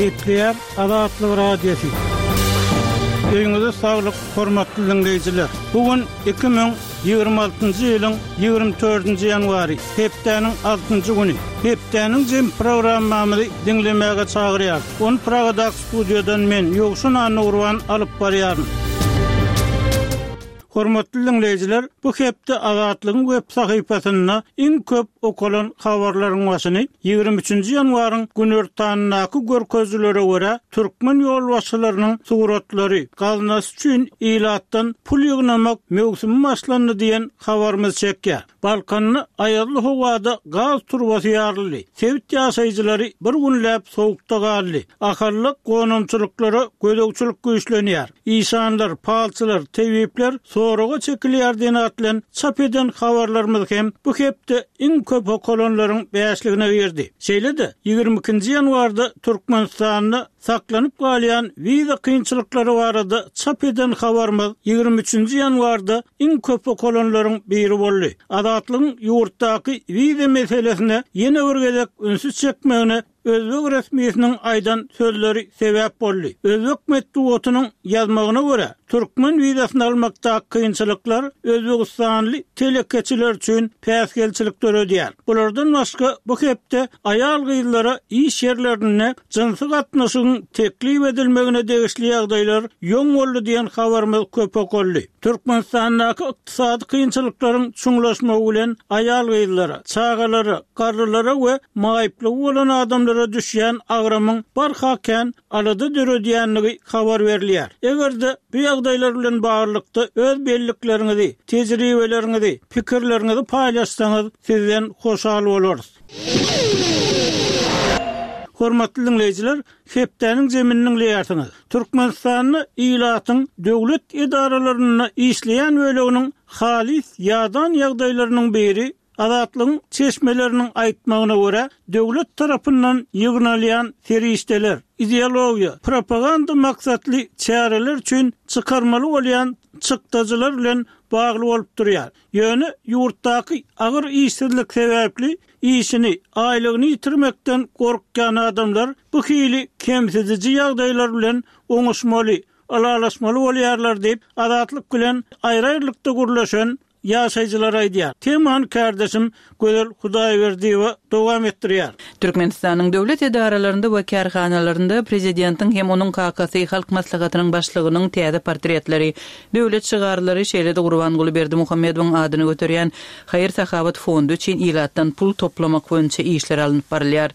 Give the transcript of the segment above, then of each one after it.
Gepleýär Azatlyk Radiosy. Öýüňize saglyk, hormatly diňleýjiler! Bu gün 2026-njy ýylyň 24-nji ýanwary, hepdäniň altynjy güni. Hepdäniň jem programmamyzy diňlemäge çagyrýarys. Ony Pragadaky studiýadan men, Ýowşan Annagurban alyp barýaryn. Hormatly diňleýjiler, bu hepde Azatlygyň web sahypasynda iň köp okalan habarlaryň başyny 23-nji ýanwaryň günortanyndaky görkezijilere görä, türkmen ýolbaşçylarynyň suratlary, gaznasy üçin ilatdan pul ýygnamak möwsümi başlandy diýen habarymyz çekýär. Balkanda aýazly howada gaz turbasy ýaryldy. Sebit ýaşaýjylary bir günläp sowukda galdy. Ahalda gonamçylyklara gözegçilik güýçlenýär. Işanlar, palçylar, tebipler soraga çekilýär diýen at bilen çap eden habarlarymyz hem bu hepde iň köp okalanlaryň bäşligine girdi. Şeýle-de, 22-nji ýanwarda Türkmenistanda saklanyp galýan wiza kynçylyklary barada çap eden habarymyz 23-nji ýanwarda iň köp okalanlaryň biri boldy. Azatlygyň ýurtdaky wiza meselesine ýene bir gezek ünsi çekmegine özbek resmisiniň aýdan sözleri sebäp boldy. Özbek metbugatynyň ýazmagyna görä, türkmen wizasyny almakdaky kynçylyklar özbegistanly telekeçiler üçin päsgelçilik döredýär. Bulardan başga, bu hepde aýal-gyzlara iş ýerlerinde jynsy gatnaşygyň teklip edilmegine degişli ýagdaýlar ýoň boldy diýen habarymyz köp okaldy. Türkmenistandaky ykdysady kynçylyklaryň çuňlaşmagy bilen aýal-gyzlara, çagalara, garrylara we maýyplygy bolan adamlara düşýän agramyň barha kän alada döredýändigi habar berilýär. Eger-de bu ýagdaýlar bilen baglylykda öz bellikleriňizi, tejribeleriňizi, pikirleriňizi paýlaşsaňyz sizden hoşal bolarys. Hormatly diňleýjiler, hepdäniň jemini diňleýärsiňiz. Türkmenistanda ilatyň döwlet edaralarynda işleýän böleginiň halys ýadan ýagdaýlarynyň biri, Azatlygyň çeşmeleriniň aýtmagyna görä, döwlet tarapyndan ýygnalýan serişdeler, ideologiýa, propaganda maksatly çäreler üçin çykarmaly bolýan çykdajylar bilen bagly bolup durýar. Ýöne ýurtdaky agyr işsizlik sebäpli işini, aýlygyny ýitirmekden gorkýan adamlar bu hili kemsidiji ýagdaýlar bilen oňuşmaly, ylalaşmaly bolýarlar diýip, Azatlyk bilen aýry-aýrylykda gürleşen ýaşaýjylar aýdýar. Temany kärdeşim Gözel Hudaýberdiýewa dowam etdirýär. Türkmenistanyň döwlet edaralarynda we kärhanalarynda prezidentiň hem onuň kakasy Halk Maslahatynyň Başlygynyň täze portretleri, döwlet şygarlary, şeýle-de Gurbanguly Berdimuhamedowyň adyny göterýän haýyr-sahawat fondy üçin ilatdan pul toplamak boýunça işler alnyp barylýar.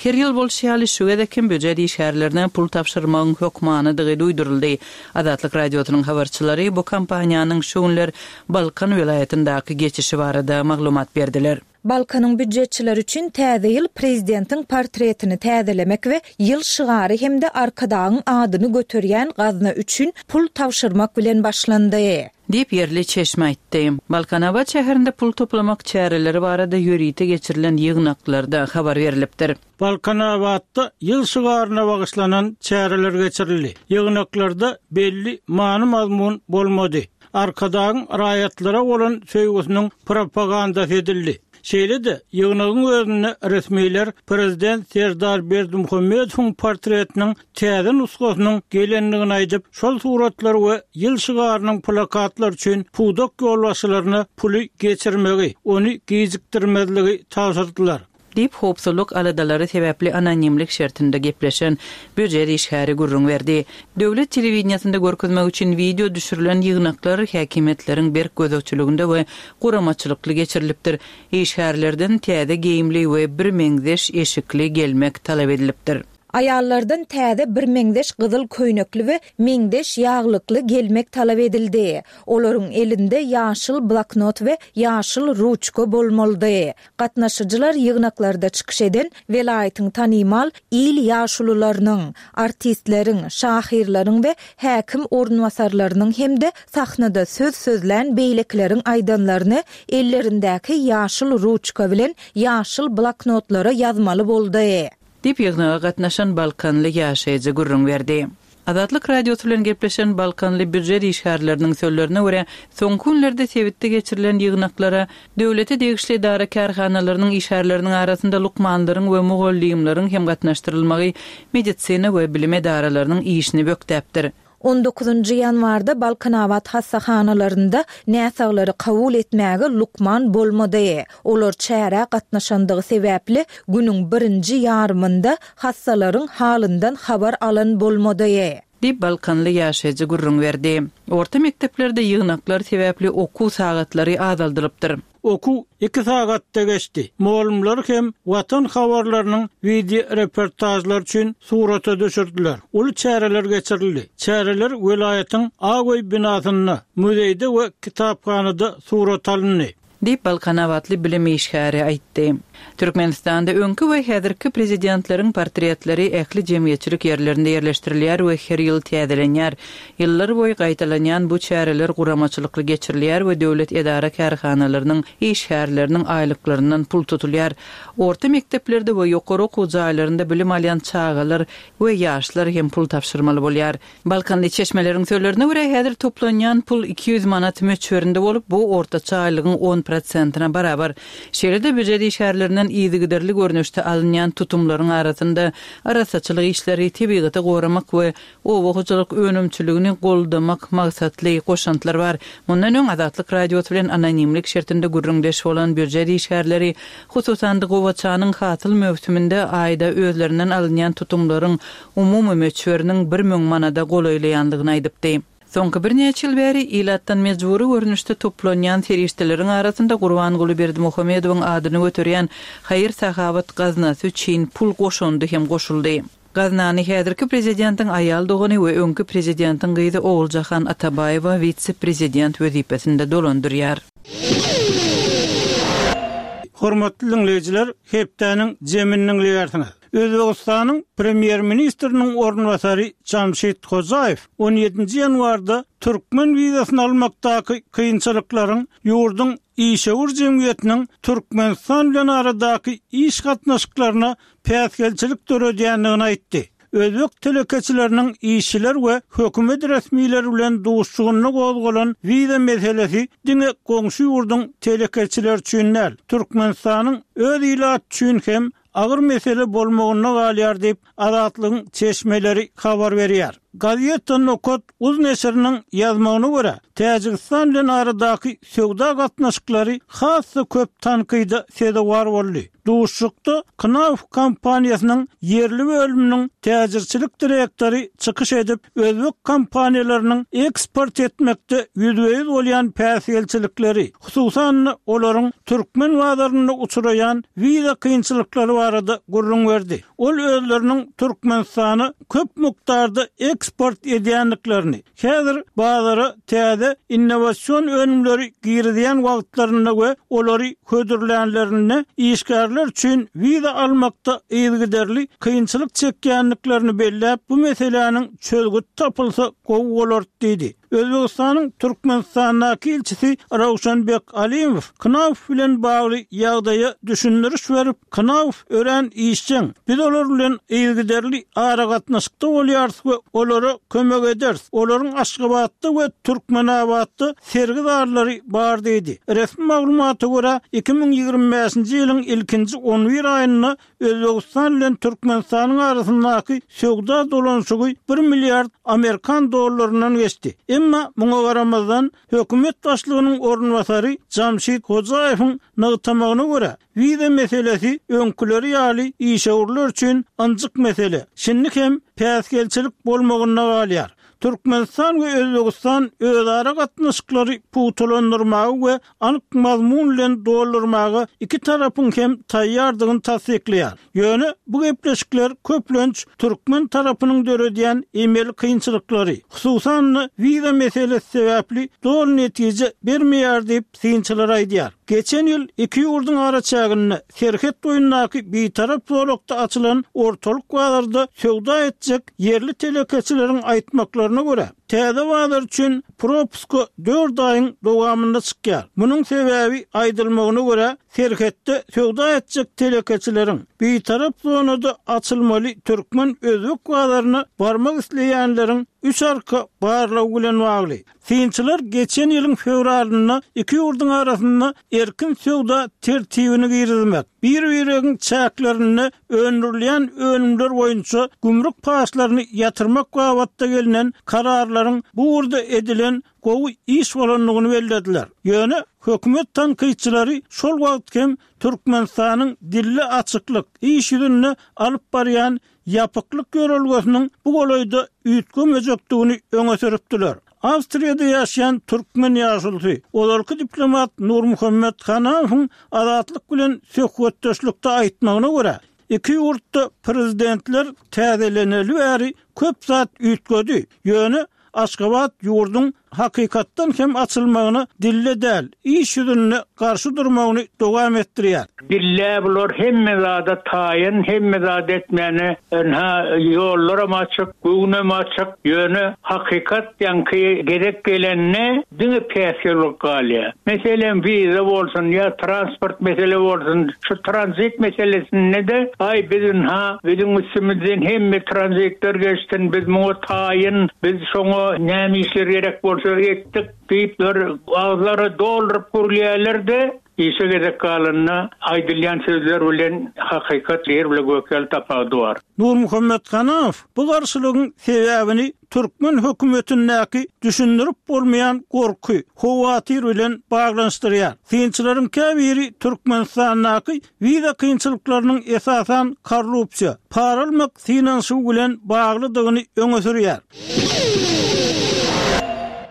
Her ýyl bolşy ýaly, şu gezek hem býujet işgärlerine pul tabşyrmagyň hökmanydygy duýduryldy. Azatlyk Radiosynyň habarçylary bu kampaniýanyň şu günler Balkan welaýatyndaky geçişi barada maglumat berdiler. Balkanyň býujetçileri üçin täze ýyl prezidentiň portretini täzelemek we ýyl şygary hem-de Arkadagyň adyny göterýän gazna üçin pul tabşyrmak bilen başlandy. Diýip, ýerli çeşme aýtdy. Balkanabat şäherinde pul toplamak çäreleri barada ýörite geçirilen ýygnaklarda habar berlipdir. Balkanabatda ýyl şygaryna bagyşlanan çäreler geçirildi. Ýygnaklarda belli many-mazmun bolmady. Arkadagyň raýatlara bolan söýgüsiniň propagandasy edildi. Şeýle-de, ýygnagyň özünde resmiler prezident Serdar Berdimuhamedowyň portretiniň täze nusgasynyň gelendigini aýdyp, şol suratlar we ýyl şygarynyň plakatlary üçin pudak ýolbaşçylaryna puly geçirmegi, ony gijikdirmezligi tabşyrdylar. Diýip, howpsuzlyk aladalary sebäpli anonimlik şertinde gepleşen býujet işgäri gürrüň berdi. Döwlet telewideniýesinde görkezmek üçin wideo düşürilen ýygnaklar häkimiýetleriň berk gözegçiliginde we guramaçylykly geçirilipdir. Işgärlerden täze geýimli we birmeňzeş eşikli gelmek talap edilipdir. Aýallardan täze birmeňzeş gyzyl köýnekli we meňzeş ýaglykly gelmek talap edildi. Olaryň elinde ýaşyl bloknot we ýaşyl ruçka bolmalydy. Gatnaşyjylar ýygnaklarda çykyş eden welaýatyň tanymal il ýaşulularynyň, artistleriň, şahyrlaryň we häkim orunbasarlarynyň hem-de sahnada söz sözlän beýlekileriň aýdanlaryny ellerindäki ýaşyl ruçka bilen ýaşyl bloknotlara ýazmaly boldy. Diýip, ýygnaga gatnaşan balkanly ýaşaýjy gürrüň berdi. Azatlyk Radiosy bilen gepleşen balkanly býujet işgärleriniň sözlerine görä, soňky günlerde sebitde geçirilen ýygnaklara döwlete degişli edara-kärhanalarynyň işgärleriniň arasynda lukmanlaryň we mugallymlaryň hem gatnaşdyrylmagy medisina we bilim edaralarynyň işini bökdäpdir. On dokuzynjy ýanwarda Balkanabat hassahanalarynda näsaglary kabul etmäge lukman bolmady. Olar çärä gatnaşandygy sebäpli günüň birinji ýarymynda hassalaryň halyndan habar alan bolmady. Diýip, balkanly ýaşaýjy gürrüň berdi. Orta mekdeplerde ýygnaklar sebäpli okuw sagatlary azaldylypdyr. Okuw iki sagatda geçdi. Mugallymlar hem Watan habarlarynyň wideoreportažlary üçin surata düşürdiler. Uly çäreler geçirildi. Çäreler welaýatyň Ak öý binasynda, muzeýde we kitaphanada surata alyndy. Diýip, balkanabatly bilim işgäri aýtdy. Türkmenistanda öňki we häzirki prezidentleriň portretleri ähli jemgyýetçilik ýerlerinde ýerleşdirilýär we her ýyl täzelenýär. Ýyllar boýy gaýtalanýan bu çäreler guramaçylykly geçirilýär we döwlet edara-kärhanalarynyň işgärleriniň aýlyklaryndan pul tutulýar. Orta mekdeplerde we ýokary okuw jaýlarynda bilim alýan çagalar we ýaşlar hem pul tabşyrmaly bolýar. Balkanly çeşmeleriň sözlerine görä, häzir toplanýan pul 200 manat möçberinde bolup, bu ortaça aýlygyň on prosentine barabar. Şeýle-de býujet işgärlerinden yzygiderli görnüşde alynýan tutumlaryň arasynda arassaçylyk işleri, tebigaty goramak we oba hojalyk önümçiligini goldamak maksatly goşantlar bar. Mundan öň Azatlyk Radiosy bilen anonimlik şertinde gürrüňdeş bolan býujet işgärleri, hususan-da, gowaçanyň hasyl möwsüminde aýda özlerinden alynýan tutumlaryň umumy möçberiniň 1000 manada golaýlaýandygyny aýdypdy. Soňky birnäçe ýyl bäri ilatdan mejbury görnüşde toplanýan serişdeleriň arasynda Gurbanguly Berdimuhamedowyň adyny göterýän haýyr-sahawat gaznasy üçin pul goşundy hem goşuldy. Gaznany häzirki prezidentiň aýal dogany we öňki prezidentiň gyzy Oguljahan Atabaýewa wise-prezident wezipesinde dolandyrýar. Hormatly diňleýjiler, hepdäniň jemini diňleýärsiňiz. Özbegistanyň Premýer-ministriniň orunbasary Jamşid Hojaýew on ýedinji ýanwarda türkmen wizasyny almakdaky kynçylyklaryň ýurduň işewür jemgyýetiniň Türkmenistan bilen aradaky iş gatnaşyklaryna päsgelçilik döredýändigini aýtdy. Özbek telekeçileriniň işçiler we hökümet resmileri bilen duşuşygynda gozgalan wiza meselesi diňe goňşy ýurduň telekeçileri üçin däl, Türkmenistanyň öz ilaty üçin hem agyr mesele bolmagynda galýar diýip, Azatlygyň çeşmeleri habar berýär. Gazeta Nokat uz neşiriniň ýazmagyna görä, Täjigistan bilen aradaky söwda gatnaşyklary has-da köp tankyda sezewar boldy. Duşuşykda Knauf kompaniýasynyň ýerli bölüminiň täjirçilik direktory çykyş edip, özbek kompaniýalarynyň eksport etmekde ýüzbe-ýüz bolýan päsgelçilikleri, hususan-da, olaryň türkmen bazarynda uçraýan wiza kynçylyklary barada gürrüň berdi. Ol özleriniň Türkmenistana köp mukdarda eksport edýändiklerini, häzir bazara täze innowasion önümleri girizýän wagtlarynda we olary hödürlänlerinde işgärler üçin wiza almakda yzygiderli kynçylyk çekýändiklerini belläp, bu meseläniň çözgüdi tapylsa gowy bolardy diýdi. Özbegistanyň Türkmenistandaky ilçisi Rawşanbek Alimow Knauf bilen bagly ýagdaýa düşündiriş berip, Knauf örän işjeň, biz olar bilen yzygiderli aragatnaşykda bolýarys we olara kömek ederis. Olaryň Aşgabatda we Türkmenabatda sergi zallary bar diýdi. Resmi maglumata görä, 2025-nji ýylyň ilkinji on bir aýynda Özbegistan bilen Türkmenistanyň arasyndaky söwda dolanyşygy bir milliard amerikan dollaryndan geçdi. Emma muňa garamazdan, hökümet başlygynyň orunbasary Jamşid Hojaýewiň nygtamagyna görä, wiza meselesi öňküleri ýaly işewürler üçin ynjyk mesele, şindi hem päsgelçilik bolmagynda galýar. Türkmenistan we Özbegistan özara gatnaşyklary pugtalandyrmaga we anyk mazmun bilen doldurmaga iki tarapyň hem taýýardygyny tassyklaýar. Ýöne bu gepleşikler köplenç türkmen tarapynyň döredýän emeli kynçylyklary, hususan-da wiza meselesi sebäpli doly netije bermeýär diýip, synçylar aýdýar. Geçen ýyl iki ýurduň araçäginde, serhet boýundaky bitarap zolakda açylan ortalyk bazarda söwda etjek ýerli telekeçileriň aýtmaklaryna görä, Täze bazar üçin propuska dört aýyň dowamynda çykýar. Munuň sebäbi, aýdylmagyna görä, serhetde söwda etjek telekeçileriň, bitarap zonada açylmaly türkmen-özbek bazaryna barmak isleýänleriň üç arka barlagy bilen bagly. Synçylar geçen ýylyň fewralynda iki ýurduň arasynda erkin söwda tertibini girizmek, bir-biregiň çäklerinde öndürilýän önümler boýunça gümrük paçlaryny ýatyrmak babatda gelnen kararlaryň bu ugurda edilen gowy iş bolandygyny bellediler. Ýöne hökümet tankytçylary şol wagt hem Türkmenistanyň dilde açyklyk, iş ýüzünde alyp barýan ýapyklyk ýörelgesiniň bu golaýda üýtgemejekdigini öňe sürüpdiler. Awstriýada ýaşaýan türkmen ýaşulusy, ozalky diplomat Nurmuhammet Hanamowyň Azatlyk bilen söhbetdeşlikde aýtmagyna görä, iki ýurtda prezidentler täzeleneli bäri köp zat üýtgedi, ýöne Aşgabat ýurduň hakykatdan hem açylmagyna dilde däl, iş ýüzünde garşy durmagyny dowam etdirýär. Dilde bular hemme zada taýyn, hemme zat etmäne, ynha, ýollaram açyk, göwnem açyk, ýöne hakykat ýaňky gezek gelende diňe päsgel bolup galýar. Meselem, wiza bolsun ýa transport mesele bolsun, şu tranzit meselesinde-de, aý, biz ynha, biziň üstümizden hemme tranzitler geçsin, biz muňa taýyn, biz şoňa näme işler gerek bolsa etdik diýip, bir agyzlary dolduryp gürleýärler-de, işe gezek galanda aýdylýan sözler bilen hakykat ýer bile gök ýaly tapawudy bar. Nurmuhammet Hanamow bu garşylygyň sebäbini türkmen hökümetindäki düşündirip bolmaýan gorky, howatyr bilen baglanyşdyrýar. Synçylaryň käbiri Türkmenistandaky wiza kynçylyklarynyň esasan korrupsiýa, para almak synanyşygy bilen baglydygyny öňe sürýär.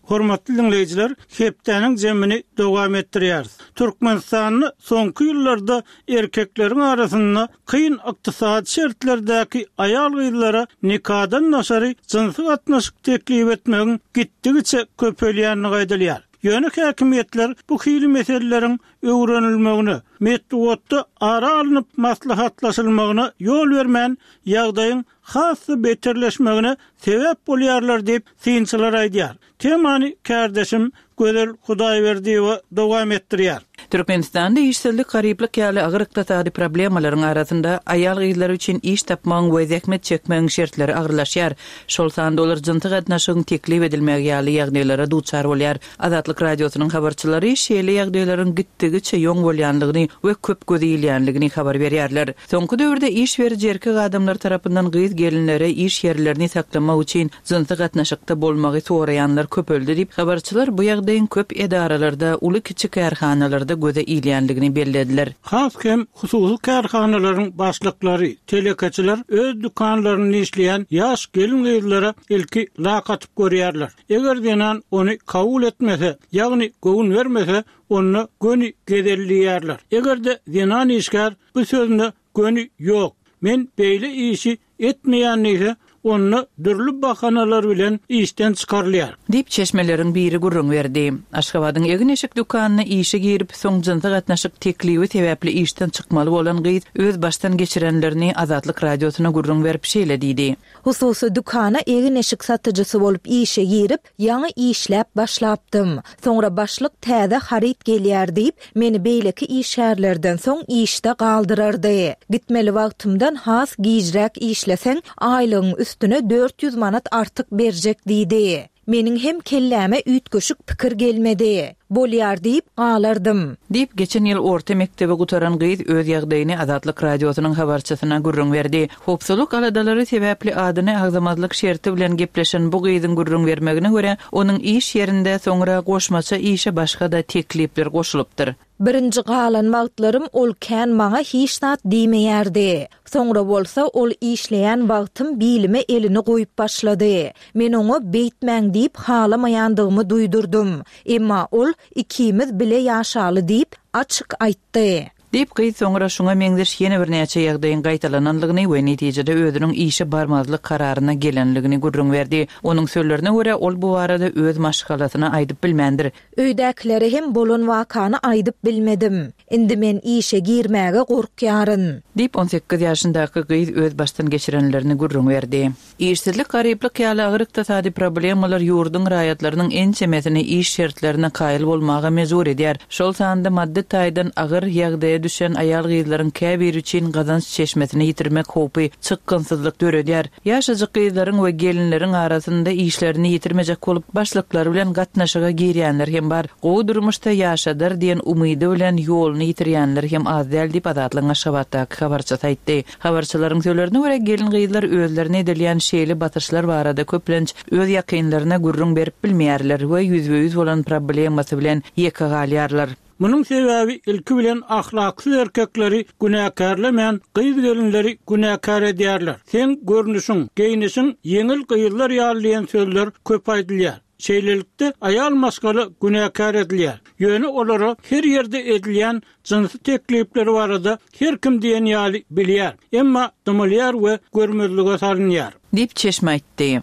Hormatly diňleýjiler, hepdäniň jemini dowam etdirýäris. Türkmenistanda soňky ýyllarda erkekleriň arasynda kyn ykdysady şertlerdäki aýal-gyzlara nikadan daşary jynsy gatnaşyk teklip etmegiň gitdigiçe köpelýändigi aýdylýar. Ýöne häkimiýetler bu hili meseleleriň öwrenilmegine, metbugatda ara alnyp maslahatlaşylmagyna ýol bermän, ýagdaýyň has-da beterleşmegine sebäp bolýarlar diýip, synçylar aýdýar. Temany kärdeşim Gözel Hudaýberdiýewa dowam etdirýär. Türkmenistanda işsizlik, garyplyk ýaly agyr ykdysady problemalaryň arasynda, aýal-gyzlar üçin iş tapmagyň we zähmet çekmegiň şertleri agyrlaşýar. Şol sanda olar jynsy gatnaşygyň teklip edilmegi ýaly ýagdaýlara duçar bolýar. Azatlyk Radiosynyň habarçylary şeýle ýagdaýlaryň gitdigiçe ýoň bolýanlygyny we köp göze ilýänligini habar berýärler. Soňky döwürde iş beriji erkek adamlar tarapyndan gyz-gelinlere iş ýerlerini saklamak üçin jynsy gatnaşykda bolmagy soraýanlar köpeldi diýip, habarçylar bu ýagdaýyň köp edaralarda, uly-kiçi kärhanalarda göze ilýänligini bellediler. Has hem hususy kärhanalaryň başlyklary, telekeçiler öz dükanlarynda işleýän ýaş gelin-gyzlara ilki lak atyp görýärler. Eger zenan ony kabul etmese, ýagny göwün bermese, onda göni gezelleýärler. Eger-de zenan işgär bu sözüne göni ýok, men beýle işi etmeýän diýse, onda dürli bahanalar bilen işden çykarylýar. Diýip, çeşmeleriň biri gürrüň berdi. Aşgabadyň egin-eşik dükanyna işe girip, soň jynsy gatnaşyk teklibi sebäpli işden çykmaly bolan gyz öz başdan geçirenlerini Azatlyk Radiosyna gürrüň berip, şeýle diýdi. Hususy dükana egin-eşik satyjysy bolup işe girip, ýaňy işläp başlapdym. Soňra başlyk täze haryt gelýär diýip, meni beýleki işgärlerden soň işde galdyrardy. Gitmeli wagtymdan has gijräk işleseň, aýlygyň üstüne 400 manat artyk berjek diýdi. Meniň hem kelläme üýtgeşik pikir gelmedi. Bolýar diýip galardym. Diýip, geçen ýyl orta mekdebi gutaran gyz öz ýagdaýyny Azatlyk Radiosynyň habarçysyna gürrüň berdi. Howpsuzlyk aladalary sebäpli adyny agzamazlyk şerti bilen gepleşen bu gyzyň gürrüň bermegine görä, onuň iş ýerinde soňra goşmaça işe başga-da teklipler goşulypdyr. Birinji galan wagtlarym ol kän maňa hiç zat diýmeýärdi. Soňra bolsa ol işleýän wagtym bilime elini goýup başlady. Men oňa beýtmäň diýip halamaýandygymy duýdurdym. Emma ol ikimiz bile ýaşaly diýip, açyk aýtdy. Diýip, gyz soňra şuňa meňzeş ýene birnäçe ýagdaýyň gaýtalananlygyny we netijede özüniň işe barmazlyk kararyna gelenligini gürrüň berdi. Onuň sözlerine görä, ol bu barada öz maşgalasyna aýdyp bilmändir. Öýdäkilere hem bolan wakany aýdyp bilmedim. Indi men işe girmäge gorkýaryn. Diýip, 18 ýaşyndaky gyz öz başdan geçirenlerini gürrüň berdi. Işsizlik, garyplyk ýaly agyr ykdysady problemalar ýurduň raýatlarynyň ençemesini iş şertlerine kaýyl bolmaga mejbur edýär. Şol sanda maddy taýdan agyr ýagdaýa düşen aýal-gyzlaryň käbiri üçin gazanç çeşmesini ýitirmek howpy çykgynsyzlyk döredýär. Ýaşajyk gyzlaryň we gelinleriň arasynda işlerini ýitirmejek bolup, başlyklary bilen gatnaşyga girýänler hem bar. Gowy durmuşda ýaşadar diýen umydy bilen ýoluny ýitirýänler hem az däl diýip, Azatlygyň Aşgabatdaky habarçysy aýtdy. Habarçylaryň sözlerine görä, gelin-gyzlar özlerine edilýän şeýle basyşlar barada köplenç öz ýakynlaryna gürrüň berip bilmeýärler we ýüzbe-ýüz bolan problemasy bilen ýeke galýarlar. Munuň sebäbi ilki bilen ahlaksyz erkekleri günäkärlemän gyz-gelinleri günäkär edýärler. Seň görnüşiň, geýnişiň ýeňil gyzlar ýaly diýen sözler köp aýdylýar. Şeýlelikde aýal maşgala günäkär edilýär. Ýöne olara her ýerde edilýän jynsy teklipleri barada her kim diýen ýaly bilýär, emma dymylýar we görmezlige salynýar. Diýip, çeşme aýtdy.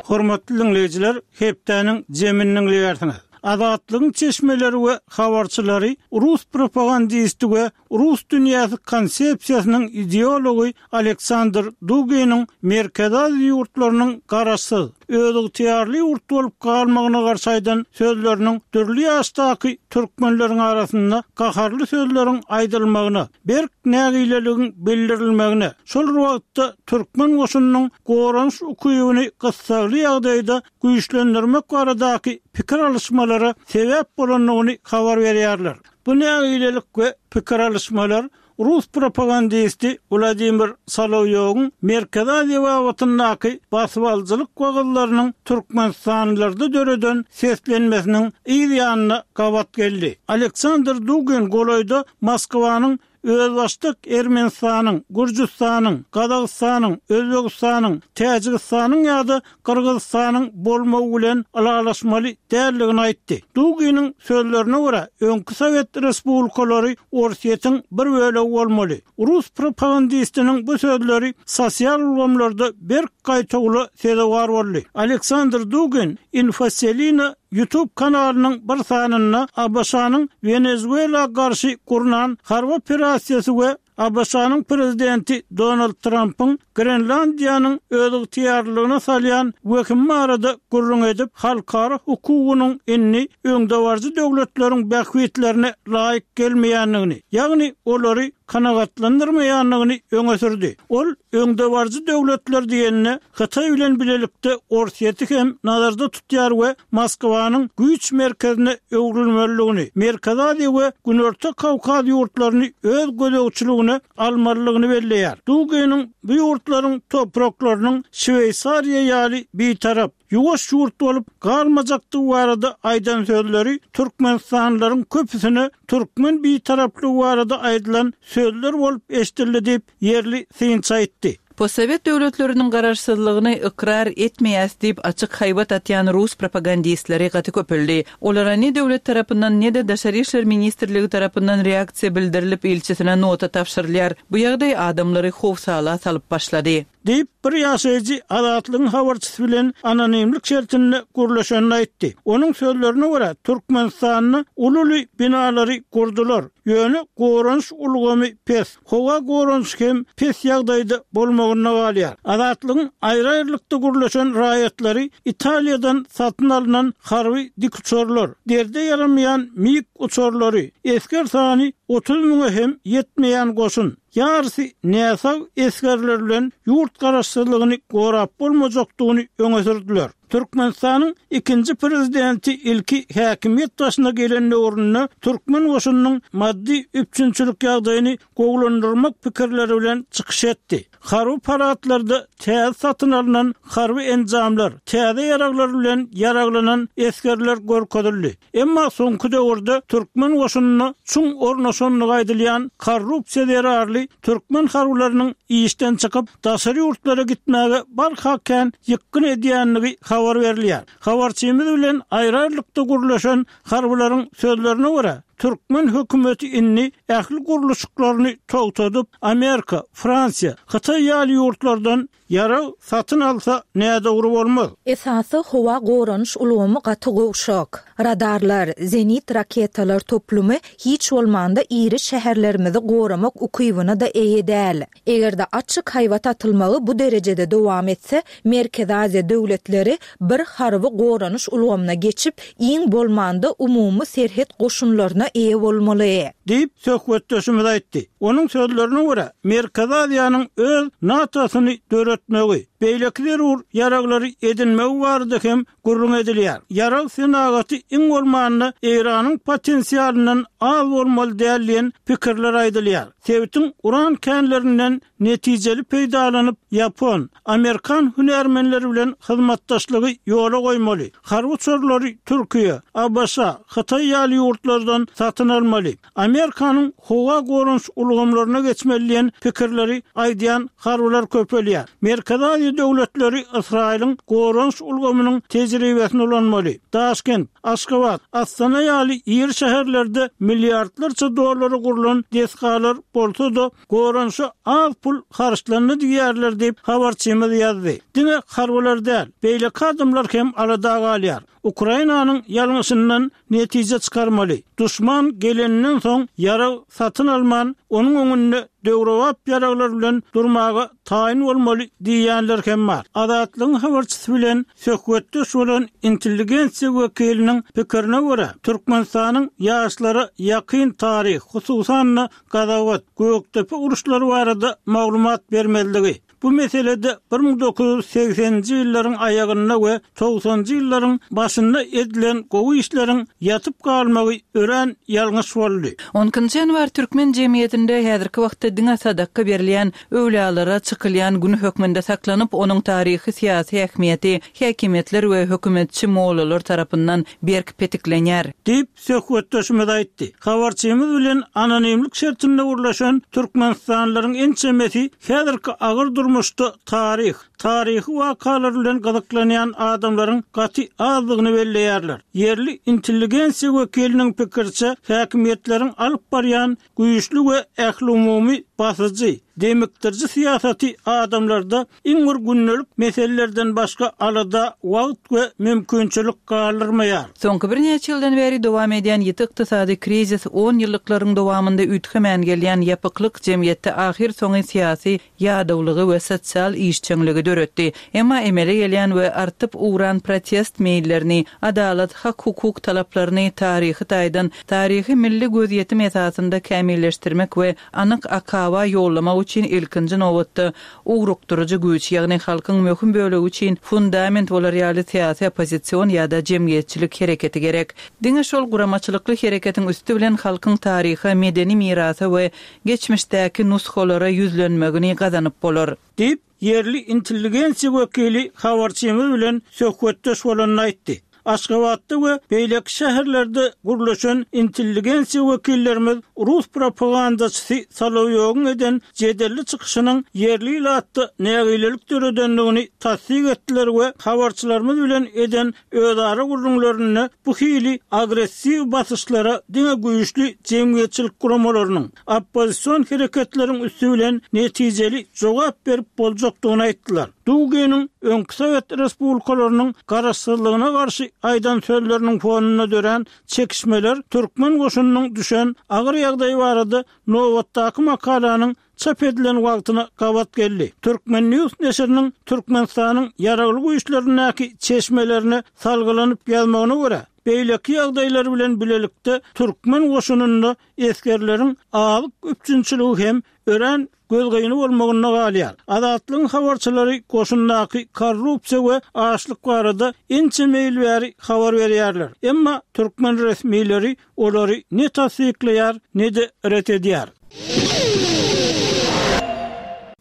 Hormatly diňleýjiler, hepdäniň jemini diňleýärsiňiz. Azatlygyň çeşmeleri we habarçylary rus propagandisti we Rus dünýäsi konsepsiýasynyň ideology Aleksandr Duginiň Merkezi Aziýa ýurtlarynyň garaşsyz, özygtyýarly ýurt bolup galmagyna garşy aýdan sözleriniň dürli ýaşdaky türkmenleriň arasynda gaharly sözleriň aýdylmagyna, berk nägileligiň bildirilmegine, şol bir wagtda türkmen goşunynyň goranyş ukybyny gyssagly ýagdaýda güýçlendirmek baradaky pikir alyşmalara sebäp bolandygyny habar berýärler. Bu nägilelik we pikir alyşmalar rus propagandisti Wladimir Solowýowyň Merkezi Aziýa babatyndaky basybalyjylyk wagyzlarynyň türkmenistanlylarda döreden seslenmesiniň yz ýanyna gabat geldi. Aleksandr Dugin golaýda Moskwanyň Özbaşdak Ermenistanyň, Gürjüstanyň, Gazagystanyň, Özbegistanyň, Täjigistanyň ýa-da Gyrgyzystanyň bolmagy bilen ylalaşmaly däldigini aýtdy. Duginiň sözlerine görä, öňki sowet respublikalary Orsýetiň bir bölegi bolmaly. Rus propagandistiniň bu sözleri sosial ulgamlarda berk gaýtawula sezewar boldy. Aleksandr Dugin Infoselina YouTube kanalynyň bir sanynda ABŞ-nyň Wenezuela garşy gurnan harby operasiýasy we ABŞ-nyň prezidenti Donald Trampyň Grenlandiýanyň özygtyýarlylygyna salýan wehimi barada gürrüň edip, halkara hukugynyň indi öňdebaryjy döwletleriň bähbitlerine laýyk gelmeýändigini, ýagny olary kanagatlandyrmaýandygyny öňe sürdi. Ol öňdebaryjy döwletler diýende, Hytaý bilen bilelikde Orsýeti hem nazarda tutýar we Moskwanyň güýç merkezine öwrülmelidigini, Merkezi Aziýa we Günorta Kawkaz ýurtlaryny öz gözegçiligine almalydygyny belleýär. Duginiň bu ýurtlaryň topraklarynyň Şweýsariýa ýaly bitarap, ýuwaş ýurt bolup galmajakdygy barada aýdan sözleri türkmenistanlylaryň köpüsine türkmen bitaraplygy barada aýdylan sözler bolup eşidildi diýip, ýerli synçy aýtdy. Postsowet döwletleriniň garaşsyzlygyny ykrar etmeýäs diýip açyk haýbat atýan rus propagandistleri gaty köpeldi. Olara ne döwlet tarapyndan ne-de Daşary işler ministrligi tarapyndan reaksiýa bildirilip ilçisine nota tabşyrylýar. Bu ýagdaý adamlary howsala salyp başlady. Diýip, bir ýaşaýjy Azatlygyň habarçysy bilen anonimlik şertinde gürleşenini aýtdy. Onuň sözlerine görä, Türkmenistanda uly-uly binalary gurdular, ýöne goranyş ulgamy pes. Howa goranyşy hem pes ýagdaýda bolmagynda galýar. Azatlygyň aýry-aýrylykda gürleşen raýatlary Italiýadan satyn alnan harby dikuçarlar, derde ýaramaýan MiG uçarlary, esger sany 30 müňe hem ýetmeýän goşun, ýarysy näsag esgerler bilen ýurt garaşsyzlygyny gorap bolmajakdygyny öňe sürdüler. Türkmenistanyň ikinji prezidenti ilki häkimiýet başyna gelen döwründe türkmen goşunynyň maddy üpjünçilik ýagdaýyny gowulandyrmak pikirleri bilen çykyş etdi. Harby paradlarda täze satyn alnan harby enjamlar, täze ýaraglar bilen ýaraglanan esgerler görkezildi. Emma soňky döwürde türkmen goşunyna çuň ornaşandygy aýdylýan korrupsiýa zerarly türkmen harbylarynyň işden çykyp, daşary ýurtlara gitmäge barha kän ýykgyn edýändigi habar berilýär. Habarçymyz bilen aýry-aýrylykda gürleşen harbylaryň sözlerine görä, Türkmen hökümeti indi ähli gurluşyklaryny togtadyp, Amerika, Fransiýa, Hytaý ýaly ýurtlardan ýarag satyn alsa nädogry bolmaz. Esasy howa goranyş ulgamy gaty gowşak. Radarlar, zenit raketalar toplumy hiç bolmanda iri şäherlerimizi goramak ukybyna-da eýe däl. Eger-de açyk haýbat atylmagy bu derejede dowam etse, Merkezi Aziýa döwletleri bir harby goranyş ulgamyna geçip, iň bolmanda umumy serhet goşunlaryna eýe bolmaly. Diýip, söhbetdeşimiz aýtdy. Onuň sözlerine görä, Merkezi Aziýanyň öz NATO-syny döretmegi, beýleki zerur ýaraglary edinmegi barada hem gürrüň edilýär. Ýarag senagaty iň bolmanda Eýranyň potensialyndan az bolmaly däl diýen pikirler aýdylýar. Sebitiň uran känlerinden netijeli peýdalanyp, ýapon, amerikan hünärmenleri bilen hyzmatdaşlygy ýola goýmaly. Harby uçarlary Türkiýe, ABŞ, Hytaý ýaly ýurtlardan satyn almaly. Amerikanyň howa goranyş ulgamlaryna geçmeli diýen pikirleri aýdýan harbylar köpelýär. Merkezi Aziýa döwletleri Ysraýylyň goranyş ulgamynyň tejribesini ulanmaly. Daşkent, Aşgabat, Astana ýaly iri şäherlerde milliardlarça dollara gurlan desgalar bolsa-da, goranyşa az pul harçlandy diýýärler diýip, habarçymyz ýazdy. Diňe harbylar däl, beýleki adamlar hem alada galýar. Ukrainanyň ýalňyşyndan netije çykarmaly. Duşman geleninden soň ýarag satyn alman, onuň öňünde döwrebap ýaraglar bilen durmaga taýyn bolmaly diýýänler hem bar. Azatlygyň habarçysy bilen söhbetdeş bolan intelligensiýa wekiliniň pikirine görä, Türkmenistanyň ýaşlara ýakyn taryh, hususan-da, Gazawat, Gökdepe uruşlary barada maglumat bermezligi, Bu meselede 1980-nji ýyllaryň aýagynda we togsanjy ýyllaryň başynda edilen gowy işleriň ýatyp galmagy örän ýalňyş boldy. On ikinji ýanwar türkmen jemgyýetinde häzirki wagtda diňe sadaka berilýän, öwlüýalara çykylýan gün hökmünde saklanyp, onuň taryhy-syýasy ähmiýeti häkimiýetler we hökümetçi mollalar tarapyndan berk petiklenýär. Diýip, söhbetdeşimiz aýtdy. Habarçymyz bilen anonimlik şertinde gürleşen türkmenistanlylaryň ençemesi häzirki agyr durmuşda taryh, taryhy wakalar bilen gyzyklanýan adamlaryň gaty azdygyny belleýärler. Ýerli intelligensiýa wekiliniň pikiriçe, häkimiýetleriň alyp barýan Güýçli we ählumumy basyjy, demikdiriji syýasaty adamlarda iň bir gündelik meselelerden başga alada wagt we mümkinçilik galdyrmaýar. Soňky birnäçe ýyldan bäri dowam edýän ýiti ykdysady krizis, on ýyllyklaryň dowamynda üýtgemän gelýän ýapyklyk jemgyýetde ahyrsoňy syýasy ýadawlygy we sosial işjeňligi döretdi. Emma emele gelýän we artyp ugran protest meýillerini, adalat, hak-hukuk talaplaryny taryhy taýdan taryhy milli gözýetim esasynda kämilleşdirmek we anyk akaba ýollamak üçin ilkinji nobatda ugrukdyryjy güýç, ýagny halkyň möhüm bölegi üçin fundament bolar ýaly syýasy oppozision ýa-da jemgyýetçilik hereketi gerek. Diňe şol guramaçylykly hereketiň üsti bilen halkyň taryha, medeni mirasa we geçmişdäki nusgalara ýüzlenmegini gazanyp bolar. Diýip, ýerli intelligensiýa wekili habarçymyz bilen söhbetdeş bolanda aýtdy. Aşgabatda we beýleki şäherlerde gürleşen intelligensiýa wekillerimiz rus propagandaçysy Solowýowyň eden jedelli çykyşynyň ýerli ilatda nägilelik döredendigini tassyk etdiler we habarçylarymyz bilen eden özara gürrüňlerinde bu hili agressiw basyşlara diňe güýçli jemgyýetçilik guramalarynyň, oppozision hereketleriň üsti bilen netijeli jogap berip boljakdygyny aýtdylar. Duginiň öňki sowet respublikalarynyň garaşsyzlygyna garşy aýdan sözleriniň fonunda dörän çekişmeler türkmen goşunynyň düşen agyr ýagdaýy barada nobatdaky makalanyň çap edilen wagtyna gabat geldi. Turkmen. News neşiriniň Türkmenistanyň Ýaragly Güýçlerindäki çeşmelerine salgylanyp ýazmagyna görä, beýleki ýagdaýlar bilen bilelikde türkmen goşunynda esgerleriň azyk üpjünçiligi hem örän gözgyny bolmagynda galýar. Azatlygyň habarçylary goşundaky korrupsiýa we açlyk barada ençeme ýyl bäri habar berýärler. Emma türkmen resmileri olary ne tassyklaýar, ne-de ret edýär.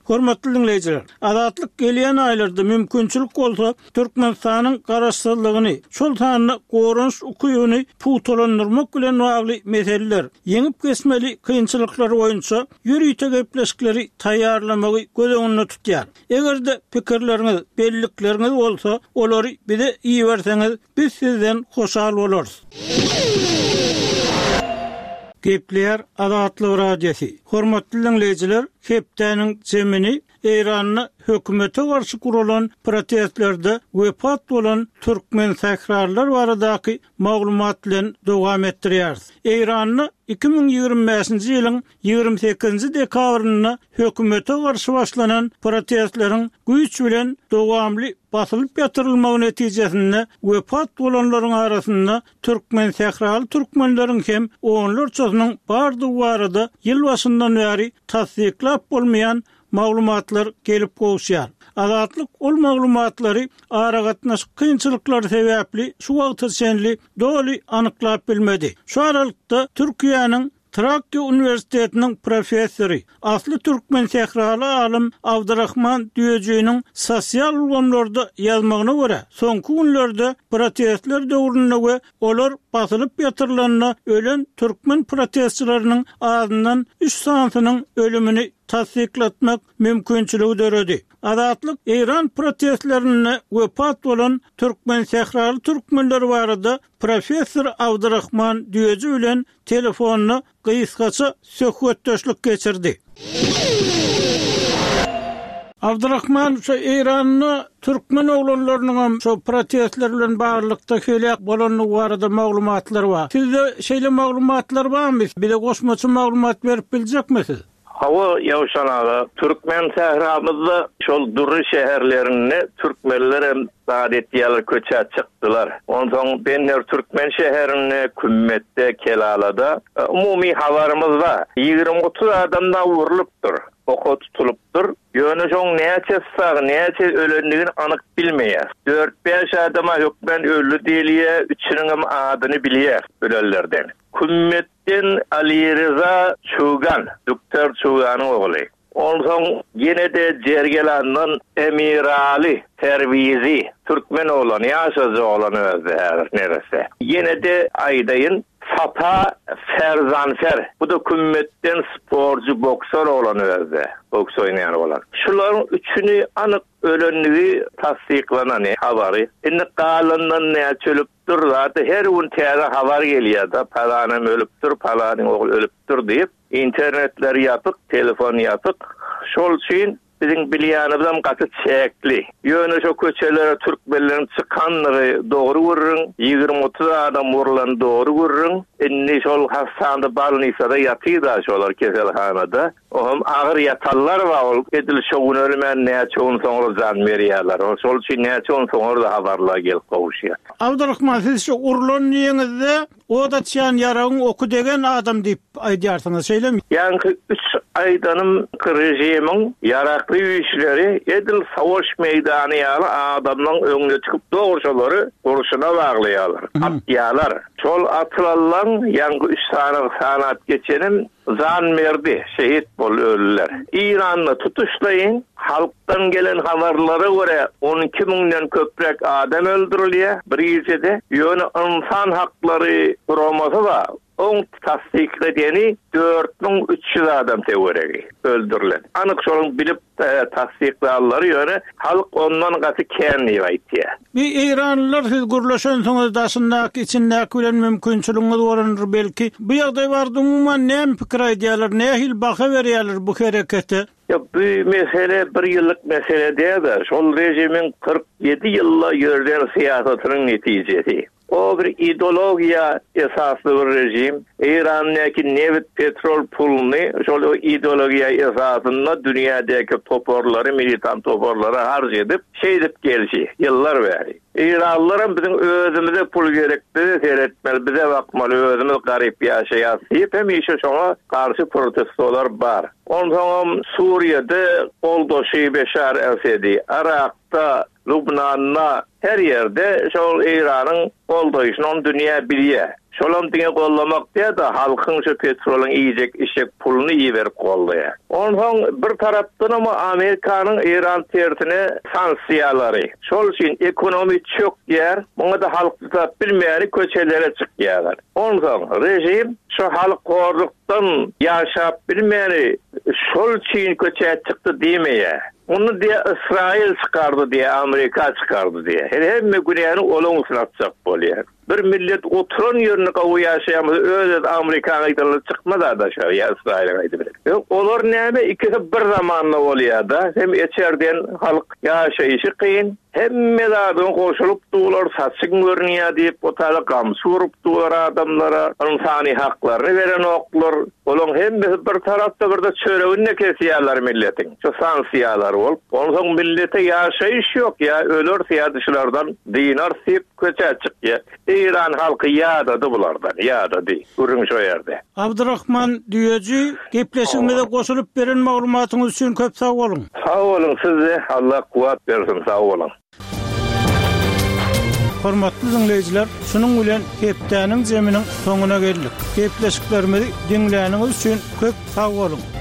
Hormatly diňleýjiler! Azatlyk gelýän aýlarda mümkinçilik bolsa, Türkmenistanyň Garaşsyzlygyny, şol sanda goranyş ukybyny pugtalandyrmak bilen bagly meseleler, ýeňip geçmeli kynçylyklar boýunça ýörite gepleşikleri taýýarlamagy göz öňünde tutýar. Eger-de pikirleriňiz, bellikleriňiz bolsa, olary bize iberseňiz, Biz sizden hoşal bolarys. Gepleýär Azatlyk Radiosy. Hormatly diňleýjiler, hepdäniň jemini Eýranda hökümete garşy guralan protestlerde wepat bolan türkmensähralylar baradaky maglumat bilen dowam etdirýäris. Eýranda 2025-nji ýylyň 28-nji dekabrynda hökümete garşy başlanan protestleriň güýç bilen dowamly basylyp ýatyrylmagy netijesinde wepat bolanlaryň arasynda türkmensähraly türkmenleriň hem onlarçasynyň bardygy barada ýyl başyndan bäri tassyklap bolmaýan maglumatlar gelip gowuşýar. Azatlyk ol maglumatlary aragatnaşyk kynçylyklary sebäpli şu wagta çenli doly anyklap bilmedi. Şu aralykda Türkiýäniň Trakýa uniwersitetiniň professory, asly türkmen sähraly alym Abdyrahman Düýejiniň sosial ulgamlarda ýazmagyna görä, soňky günlerde protestler döwründe we olar basylyp ýatyrylanda ölen türkmen protestçileriniň azyndan üç sanysynyň ölümini tassyklatmak mümkinçiligi döredi. Azatlyk eýran protestlerinde wepat bolan türkmen sähraly türkmenler barada professor Abdyrahman Düýeji bilen telefonda gysgaça söhbetdeşlik geçirdi. Abdyrahman şu Eýranda türkmen oglanlarynyňam şu protestler bilen baglylykda heläk bolandygy barada maglumatlar bar. Sizde şeýle maglumatlar barmy? Bize goşmaça maglumat berip biljekmi siz? Hawa, Ýowşan aga, türkmen sähramyzda şol dürli şäherlerinde türkmenlerem zat etýärler, köçä çykdylar. Onsoň Bender türkmen şäherinde, Kümmetde, Kelalada umumy habarymyz bar. Ýigrimi-otuz adam dagy urlupdyr, oka tutulypdyr. Ýöne şoň näçesi sag, näçe ölendigini anyk bilmeýäs. Dört-bäş adam-a hökmän öldi diýilýär, üçüniňem adyny bilýäs ölenlerden. Kümmet Den Alyryza Çugan, Düktar Çuganyň ogly. Onsoň ýene-de Jergelandan Emiraly Perwizi, türkmen oglany, ýaşajyk oglan özi häzir neresse. Ýene-de aýdaýyn, Sapa Ferzanfer, bu-da Kümmetden sportçy, boksor oglan özi, boks oýnaýan oglan. Şularyň üçüni anyk ölendigi tassyklanan habary. Indi galandan näçe ölüp Dur zady her gün täze habar gelýärda palanam ölüpdir palanyň ogly ölüpdir diýip internetler ýapyk telefon ýapyk şol üçin biziň bilýänimizem gaty çäkli ýöne şo köçelere türkmenleriň çykandygy dogry gürrüň 20 30 adam urlany dogry gürrüň indi şol hassanda balnisada ýatyda şolar keselhanada Oňam agyr ýatanlar bar, ol edil şo gün ölmän näçe gün soňra jan berýärler. Ol şol üçin näçe gün soňra-da habarlar gelip gowuşýar. Abdurahman siz şu urlan diýeňizde ot açýan ýaragyň oky degen adam diýip aýdýarsyňyz şeýlemi? Ýaňky üç aýdanym režimiň ýaragly güýçleri edil savaş meýdany ýaly adamlaň öňüne çykyp dogry şolary gurşuna baglaýarlar, atýarlar. Şol atylanlaň ýaňky üç sany sanap geçenim Jan berdi, şehit boldy, öldüler. Eýranda tutuşlaýyn halkdan gelen habarlara görä 12 müňden köpräk adam öldürilýär bir gijede. Ýöne ynsan haklary guramasy bar, oň tassykladeni 4300 adam töweregi öldürilen. Anyk şonuň bilip tassyklanlary ýöne halk ondan gaty kän diýip aýtýar. Bir eýranlylar siz gürleşensiňiz daşyndaky içindäki bilen mümkinçiligiňiz bolandyr belki. Bu ýagdaý barada umuman näme pikir aýdýarlar nähili baha berýärler bu herekete? Ýok bu mesele bir ýyllyk mesele dälde şol režimiň 47 ýylda ýörden syýasatynyň netijesi. O bir ideologiýa esasly bir režim. Eýrandäki nebit, petrol puluny şol ideologiýa esasynda dünýädäki toparlary, militant toparlary harç edip, şeýdip gelşi, ýyllar bäri. Eýranlylaram biziň özümize pul gerek, bize seretmeli, bize bakmaly, özümiz garyp ýaşaýas diýip hemişe şoňa garşy protestolar bar. Onsoňam Suriýede goldaşy Beşar Esedi, Yrakda Lubnanda her ýerde şol Eýranyň goldaýşyny ony dünýä bilýä. Şolam diňe gollamak däl-de halkyň şu petrolyň iýjek içjek puluny iberip goldaýa. Onsoň bir tarapdanam Amerikanyň Eýran tersine sanksiýalary. Şol üçin ekonomi çökýär. Muňa-da halk çydap bilmäni köçelere çykýarlar. Onsoň režim şu halk horlukdan ýaşap bilmäni şol üçin köçä çykdy diýmeýär. Muny diýýär Ysraýyl çykardy diýýär, Amerika çykardy diýýär. Hemme günäni olaň üstüne atjak bolýar. Bir millet oturan ýerinde gowy ýaşaýan bolsa öz-özi Amerikanyň aýdanyna çykmaz-a daşary ýa Ysraýylyň aýdyny. Olar näme ikisi bir zamanda bolýa-da, hem içerden halk ýaşaýşy kyn, hemme zadyňa goşulyp durlar, saçyň görünýä diýip o taýda gamçy urup durlar adamlara, ynsany haklaryny berenoklar, olaň hemmesi bir tarapda birde çöregini-de kesýärler milletiň, şu sanksiýalar bolup, onsoň millete ýaşaýyş ýok ýa öleris ýa-da şulardan dynarys diýip köçä çykýa. Eýran halky ýadady bulardan, ýadady. Gürrüň şo ýerde. Abdyrahman Düýeji, gepleşigimize goşulyp beren maglumatyňyz üçin köp sag boluň! Sag boluň sizde Allah kuwwat bersin sag boluň. Hormatly diňleýjiler, şunuň bilen hepdäniň zeminiň soňuna geldik. Gepleşiklerimizi diňläniňiz üçin köp sag boluň!